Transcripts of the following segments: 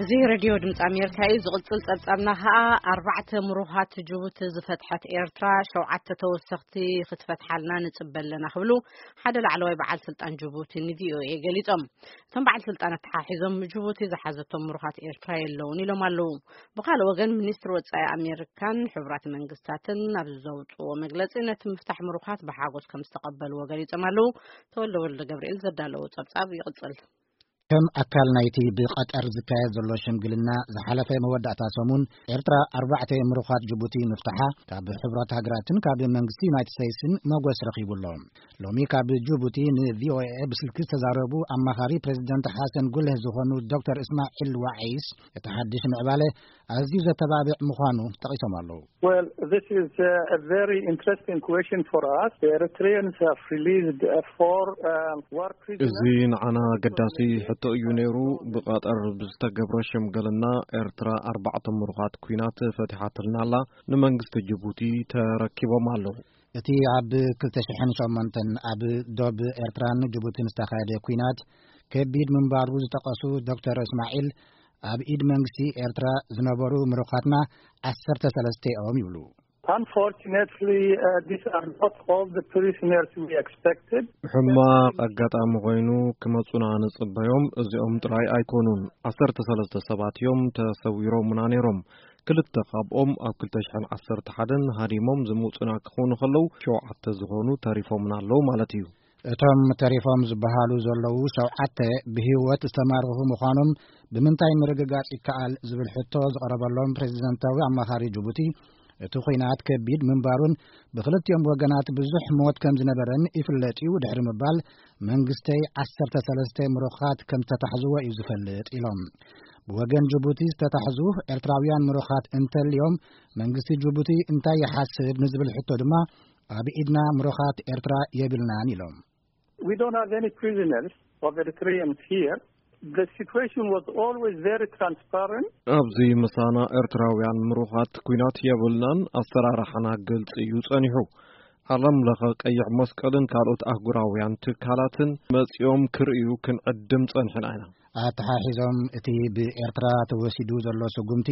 እዚ ሬድዮ ድምፂ ኣሜሪካ እዩ። ዝቕፅል ፀብፃብና ከዓ ኣርባዕተ ምሩኻት ጅቡቲ ዝፈትሐት ኤርትራ ሸውዓተ ተወሰኽቲ ክትፈትሓልና ንፅበ ኣለና ክብሉ ሓደ ላዕለዋይ በዓል ስልጣን ጅቡቲ ንቪኦኤ ገሊፆም። እቶም በዓል ስልጣን ኣተሓሒዞም ጅቡቲ ዝሓዘቶም ምሩኻት ኤርትራ የለውን ኢሎም ኣለዉ። ብካልእ ወገን ሚኒስትሪ ወፃኢ ኣሜሪካን ሕቡራት መንግስታትን ኣብ ዘውፅዎ መግለፂ ነቲ ምፍታሕ ምሩኻት ብሓጎስ ከም ዝተቐበልዎ ገሊፆም ኣለዉ። ተወልደ ወልደ ገብርኤል ዘዳለዎ ፀብፃብ ይቕፅል። ከም ኣካል ናይቲ ብቐጠር ዝካየድ ዘሎ ሽምግልና ዝሓለፈ መወዳእታ ሰሙን ኤርትራ ኣርባዕተ ምሩኻት ጅቡቲ ምፍታሓ ካብ ሕቡራት ሃገራትን ካብ መንግስቲ ዩናይትድ ስቴትስን መጎስ ረኺቡ ኣሎ። ሎሚ ካብ ጅቡቲ ንቪኦኤ ብስልኪ ዝተዛረቡ ኣማኻሪ ፕሬዚደንት ሓሰን ጉልህ ዝኾኑ ዶክተር እስማዒል ዋዒስ እቲ ሓድሽ ምዕባለ ኣዝዩ ዘተባብዕ ምዃኑ ጠቒሶም ኣለዉ። Well, this is uh, a very interesting question for us. The Eritreans have released uh, four uh, war prisoners. እዚ ንዓና ኣገዳሲ ሕቶ እዩ ነይሩ። ብቐጠር ብዝተገብረ ሽምግልና ኤርትራ ኣርባዕተ ምሩኻት ኲናት ፈቲሓትልና ኣላ። ንመንግስቲ ጅቡቲ ተረኪቦም ኣለዉ። እቲ ኣብ ክልተ ሽሕን ሸሞንተን ኣብ ዶብ ኤርትራን ጅቡትን ዝተኻየደ ኲናት ከቢድ ምንባሩ ዝጠቐሱ ዶክተር እስማዒል፣ ኣብ ኢድ መንግስቲ ኤርትራ ዝነበሩ ምሩኻትና ዓሰርተ ሰለስተ እዮም ይብሉ። Unfortunately, uh, these are not all the prisoners we expected. ሕማቕ ኣጋጣሚ ኮይኑ ክመጹና ንጽበዮም እዚኦም ጥራይ ኣይኮኑን። ዓሰርተ ሰለስተ ሰባት እዮም ተሰዊሮምና ነይሮም። ክልተ ካብኦም ኣብ ክልተ ሽሕን ዓሰርተ ሓደን ሃዲሞም ዝመጹና ክኾኑ ከለዉ፣ ሸውዓተ ዝኾኑ ተሪፎምና ኣለዉ ማለት እዩ። እቶም ተሪፎም ዝበሃሉ ዘለዉ ሸውዓተ ብህይወት ዝተማረኹ ምዃኖም ብምንታይ ምርግጋጽ ይከኣል ዝብል ሕቶ ዝቐረበሎም ፕሬዚደንታዊ ኣማኻሪ ጅቡቲ፣ እቲ ኲናት ከቢድ ምንባሩን ብክልቲኦም ወገናት ብዙሕ ሞት ከም ዝነበረን ይፍለጥ እዩ ድሕሪ ምባል፣ መንግስተይ ዓሰርተ ሰለስተ ምሩኻት ከም ዝተታሕዝዎ እዩ ዝፈልጥ ኢሎም። ብወገን ጅቡቲ ዝተታሕዙ ኤርትራውያን ምሩኻት እንተልዮም መንግስቲ ጅቡቲ እንታይ ይሓስብ ንዝብል ሕቶ ድማ ኣብ ኢድና ምሩኻት ኤርትራ የብልናን ኢሎም። We don't have any prisoners of Eritreans here. The situation was always very transparent. ኣብዚ ምሳና ኤርትራውያን ምሩኻት ኲናት የብልናን። ኣሰራርሓና ግልጺ እዩ ጸኒሑ። ዓለም ለኸ ቀይሕ መስቀልን ካልኦት ኣህጉራውያን ትካላትን መጺኦም ክርእዩ ክንዕድም ጸኒሕና ኢና። ኣተሓሒዞም እቲ ብኤርትራ ተወሲዱ ዘሎ ስጉምቲ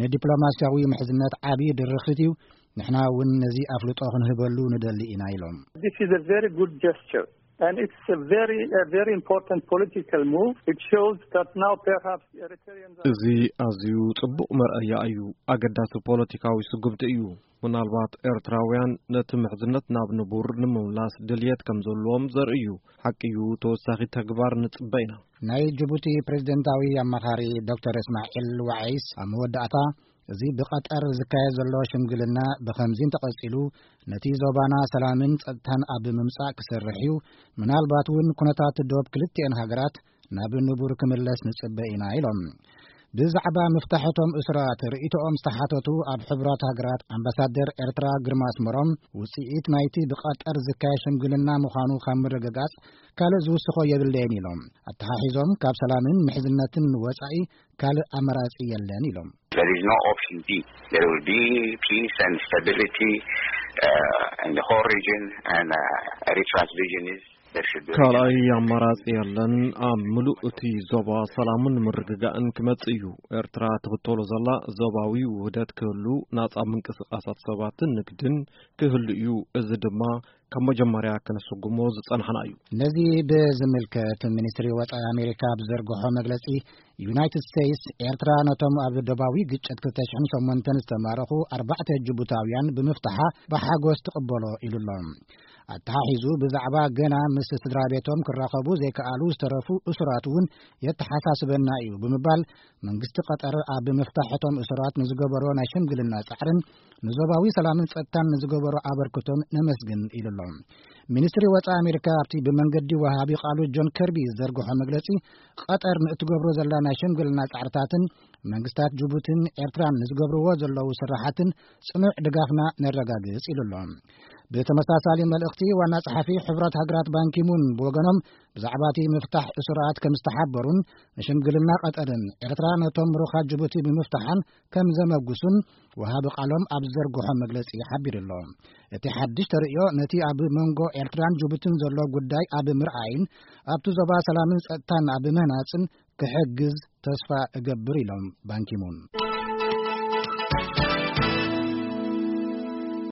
ንዲፕሎማስያዊ ምሕዝነት ዓቢ ድርኺት እዩ። ንሕና እውን ነዚ ኣፍልጦ ክንህበሉ ንደሊ ኢና ኢሎም። This is a very good gesture and it's a very, a very important political move. It shows that now perhaps Eritreans are እዚ ኣዝዩ ጽቡቕ መርኣያ እዩ። ኣገዳሲ ፖለቲካዊ ስጉምቲ እዩ። ምናልባት ኤርትራውያን ነቲ ምሕዝነት ናብ ንቡር ንምምላስ ድልየት ከም ዘለዎም ዘርኢ እዩ። ሓቂ እዩ፣ ተወሳኺ ተግባር ንጽበ ኢና። ናይ ጅቡቲ ፕሬዚደንታዊ ኣማኻሪ ዶክተር እስማዒል ዋዒስ ኣብ መወዳእታ፣ እዚ ብቐጠር ዝካየድ ዘሎ ሽምግልና ብኸምዚ እንተቐጺሉ፣ ነቲ ዞባና ሰላምን ጸጥታን ኣብ ምምጻእ ክሰርሕ እዩ፣ ምናልባት እውን ኩነታት ዶብ ክልቲኤን ሃገራት ናብ ንቡር ክምለስ ንጽበ ኢና ኢሎም። ብዛዕባ ምፍታሕ እቶም እሱራት ርእይቶኦም ዝተሓተቱ ኣብ ሕቡራት ሃገራት ኣምባሳደር ኤርትራ ግርማ ኣስመሮም፣ ውጽኢት ናይቲ ብቐጠር ዝካየድ ሽምግልና ምዃኑ ካብ ምርግጋጽ ካልእ ዝውስኾ የብለይን ኢሎም። ኣተሓሒዞም ካብ ሰላምን ምሕዝነትን ወጻኢ ካልእ ኣማራጺ የለን ኢሎም። There is no option B. There will be peace and stability uh, in the whole region and uh, Eritrea's vision is ካልኣይ ኣማራጺ የለን። ኣብ ምሉእ እቲ ዞባ ሰላምን ምርግጋእን ክመጽእ እዩ። ኤርትራ ትኽተሎ ዘላ ዞባዊ ውህደት ክህሉ፣ ናጻ ምንቅስቓሳት ሰባትን ንግድን ክህሉ እዩ። እዚ ድማ ካብ መጀመርያ ከነስጉሞ ዝጸናሕና እዩ። ነዚ ብዝምልከት ሚኒስትሪ ወጻኢ ኣሜሪካ ኣብ ዘርግሖ መግለጺ፣ ዩናይትድ ስቴትስ ኤርትራ ነቶም ኣብ ደባዊ ግጭት ክልተ ሽሕን ሸሞንተን ዝተማረኹ ኣርባዕተ ጅቡታውያን ብምፍታሓ ብሓጎስ ትቕበሎ ኢሉ ኣሎ። ኣተሓሒዙ ብዛዕባ ገና ምስ ስድራ ቤቶም ክራኸቡ ዘይከኣሉ ዝተረፉ እሱራት እውን የተሓሳስበና እዩ ብምባል፣ መንግስቲ ቀጠር ኣብ ምፍታሕ እቶም እሱራት ንዝገበሮ ናይ ሽምግልና ጻዕርን ንዞባዊ ሰላምን ጸጥታን ንዝገበሮ ኣበርክቶን ነመስግን ኢሉ ኣሎ። ሚኒስትሪ ወጻኢ ኣሜሪካ ኣብቲ ብመንገዲ ወሃቢ ቃሉ ጆን ከርቢ ዝዘርግሖ መግለጺ፣ ቀጠር ንእትገብሮ ዘላ ናይ ሽምግልና ጻዕርታትን መንግስታት ጅቡትን ኤርትራን ንዝገብርዎ ዘለዉ ስራሓትን ጽኑዕ ድጋፍና ነረጋግጽ ኢሉ ኣሎ። ብተመሳሳሊ መልእኽቲ፣ ዋና ጸሓፊ ሕቡራት ሃገራት ባንኪሙን ብወገኖም፣ ብዛዕባ እቲ ምፍታሕ እሱራት ከም ዝተሓበሩን ንሽምግልና ቀጠርን ኤርትራ ነቶም ምሩኻት ጅቡቲ ብምፍታሓን ከም ዘመጉሱን ወሃቢ ቃሎም ኣብ ዝዘርግሖ መግለጺ ሓቢሩ ኣሎ። እቲ ሓድሽ ተርእዮ ነቲ ኣብ መንጎ ኤርትራን ጅቡትን ዘሎ ጉዳይ ኣብ ምርኣይን ኣብቲ ዞባ ሰላምን ጸጥታን ኣብ ምህናጽን ክሕግዝ ተስፋ እገብር ኢሎም ባንኪሙን።